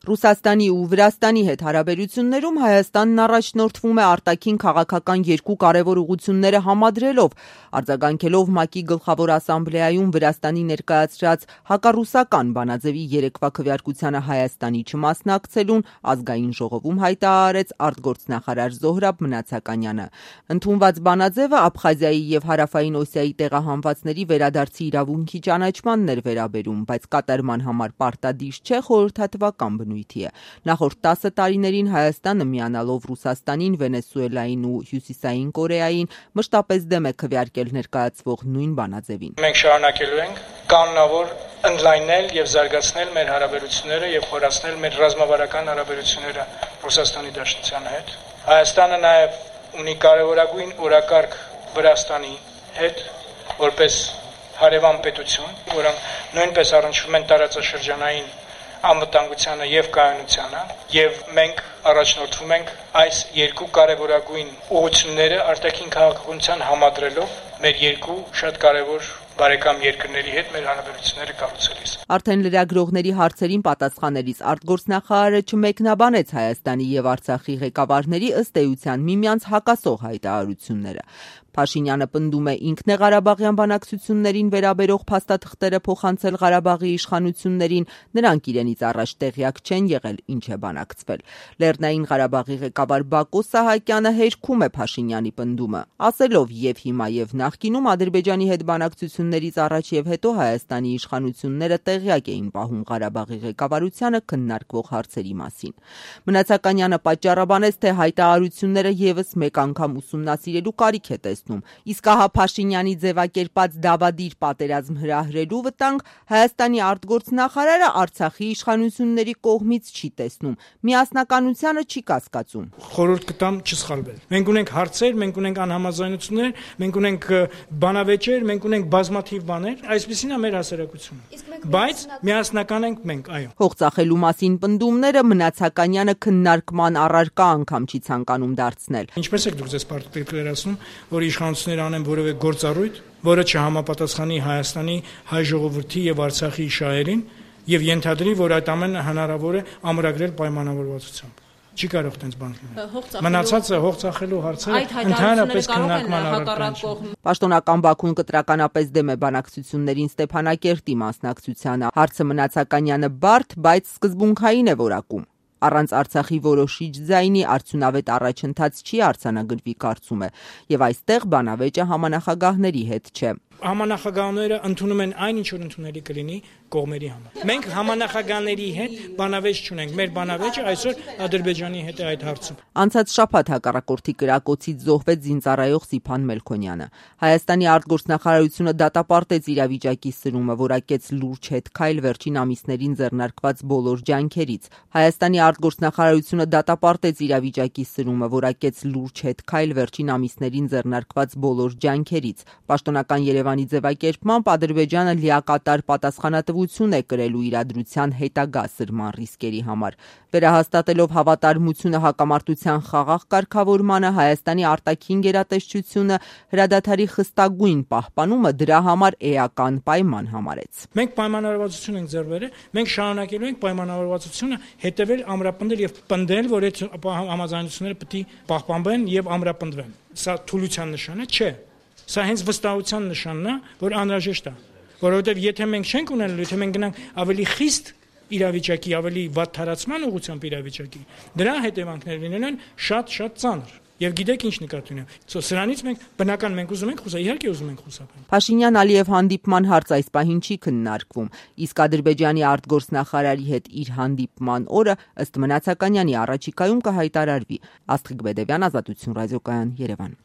Ռուսաստանի ու Վրաստանի հետ հարաբերություններում Հայաստանն առաջնորդվում է արտաքին քաղաքական երկու կարևոր ուղղությունները համադրելով, արձագանքելով ՄԱԿ-ի գլխավոր ասամբլեայում Վրաստանի ներկայացրած հակառուսական բանաձևի երեկվա քվեարկությանը Հայաստանի չմասնակցելուն ազգային ժողովում հայտարարեց արտգործնախարար Զոհրաբ Մնացականյանը։ Ընդունված բանաձևը Աբխազիայի եւ Հարավային Օսիայի տեղահանվածների վերադարձի իրավունքի ճանաչմանն էր վերաբերում, բայց կատարման համար պարտադիր չէ, խորհրդատվական բնույթի է։ Նախորդ 10 տարիներին Հայաստանը միանալով Ռուսաստանին, Վենեսուելային ու Հյուսիսային Կորեային մշտապես դեմ է քվեարկել ներկայացվող նույն բանաձևին։ Մենք շարունակելու ենք կանոնավոր ընդլայնել եւ զարգացնել մեր հարաբերությունները եւ խորացնել մեր ռազմավարական հարաբերությունները Ռուսաստանի Դաշնության հետ։ Հայաստանը նաեւ ունի կարևորագույն օրակարգ Վրաստանի հետ, որպես հարևան պետություն, որոնք նույնպես առնչվում են տարածաշրջանային անվտանգությանը եւ կայունությանը, եւ մենք առաջնորդվում ենք այս երկու կարևորագույն ուղղությունները արտաքին քաղաքականության համադրելով մեր երկու շատ կարևոր բարեկամ երկրների հետ մեր հարաբերությունները կառուցելիս։ Արդեն լրագրողների հարցերին պատասխանելիս արտգործնախարարը չմեկնաբանեց Հայաստանի եւ Արցախի ղեկավարների ըստ էության միմյանց հակասող հայտարարությունները։ Փաշինյանը պնդում է ինքնեղարաբաղյան բանակցություններին վերաբերող փաստաթղթերը փոխանցել Ղարաբաղի իշխանություններին, նրանք իրենից առաջ տեղյակ չեն եղել ինչ է բանակցվել։ Լեռնային Ղարաբաղի ղեկավար Բակո Սահակյանը հերքում է Փաշինյանի պնդումը, ասելով եւ հիմա եւ նախկինում Ադրբեջանի հետ բանակցություններից առաջ եւ հետո Հայաստանի իշխանությունները տեղյակ էին պահում Ղարաբաղի ղեկավարությանը քննարկվող հարցերի մասին։ Մնացականյանը պատճառաբանեց, թե հայտարարությունները եւս մեկ անգամ ուսումնասիրելու կարիք է տեսնում, իսկ ահա Փաշինյանի ձևակերպած դավադիր պատերազմ հրահրելու վտանգ Հայաստանի արտգործնախարարը Արցախի իշխանությունների կողմից չի տեսնում, միասնականությանը չի կասկածում։ Խորհուրդ կտամ չսխալվել։ Մենք ունենք հարցեր, մենք ունենք անհամաձայնություններ, մենք ունենք բանավեճեր, մենք ունենք բազմաթիվ բաներ, այսպեսին է մեր հասարակությունը։ Բայց միասնական ենք մենք, այո։ Փոխծախելու մասին պնդումները Մնացականյանը քննարկման առարկա անգամ չի ցանկանում դարձնել։ Ինչպես եք դուք ձեզ պարտադրացնում, որ իշխանությունները անեն որևէ գործառույթ, որը չհամապատասխանի Հայաստանի հայ ժողովրդի եւ Արցախի շահերին եւ ենթադրի, որ այդ ամենը հնարավոր է ամրագրել պայմանավորվածությամբ։ Չի կարող տենց բան լինել։ Մնացածը հողծախելու հարցերը ընդհանրապես քննարկման առարկա են։ Պաշտոնական Բաքուն կտրականապես դեմ է բանակցություններին Ստեփանակերտի մասնակցությանը։ Հարցը Մնացականյանը բարդ, բայց սկզբունքային է որակում։ Առանց Արցախի որոշիչ ձայնի արդյունավետ առաջընթաց չի արձանագրվի կարծում է, եւ այստեղ բանավեճը համանախագահների հետ չէ։ Համանախագահները ընդունում են այն, ինչ որ ընդունելի կլինի կողմերի համար։ Մենք համանախագահների հետ բանավեճ չունենք։ Մեր բանավեճը այսօր Ադրբեջանի հետ է այդ հարցում։ Անցած շաբաթ հակառակորդի կրակոցից զոհվեց զինծառայող Սիփան Մելքոնյանը։ Հայաստանի արտգործնախարարությունը դատապարտեց իրավիճակի սրումը, որակեց լուրջ հետքայլ վերջին ամիսներին ձեռնարկված բոլոր ջանքերից։ Հայաստանի արտգործնախարարությունը դատապարտեց իրավիճակի սրումը, որակեց լուրջ հետքայլ վերջին ամիսներին ձեռնարկված բոլոր ջանքերից։ Պաշտոնական Երևանի ձևակերպմամբ Ադրբեջանը լիակատար պատասխանատվություն է կրելու իրադրության հետագա սրման ռիսկերի համար։ Վերահաստատելով հավատարմությունը հակամարտության խաղաղ կարգավորմանը, Հայաստանի արտաքին գերատեսչությունը հրադադարի խստագույն պահպանումը դրա համար էական պայման համարեց։ Մենք պայմանավորվածություն ենք ձեռք բերել, մենք շարունակելու ենք պայմանավորվածությունը հետևել, ամրապնդել եւ պնդել, որ այդ համաձայնությունները պետք է պահպանվեն եւ ամրապնդվեն։ Սա թուլության նշան է, չէ։ Սա հենց վստահության նշանն է, որ անհրաժեշտ է, որովհետև եթե մենք չենք ունենալու, եթե մենք գնանք ավելի խիստ իրավիճակի, ավելի վատ թարացման ուղղությամբ իրավիճակի, դրա հետևանքները լինելու են շատ ծանր։ Եվ գիտեք ինչ նկատի ունեմ։ Սրանից մենք բնական մենք ուզում ենք խուսափել, իհարկե ուզում ենք խուսափել։ Փաշինյան-Ալիև հանդիպման հարց այս պահին չի քննարկվում, իսկ Ադրբեջանի արտգործնախարարի հետ իր հանդիպման օրը ըստ Մնացականյանի առաջիկայում կհայտարարվի։ Աստղիկ Բեդևյան, Ազատություն ռադիոկայան, Երևան։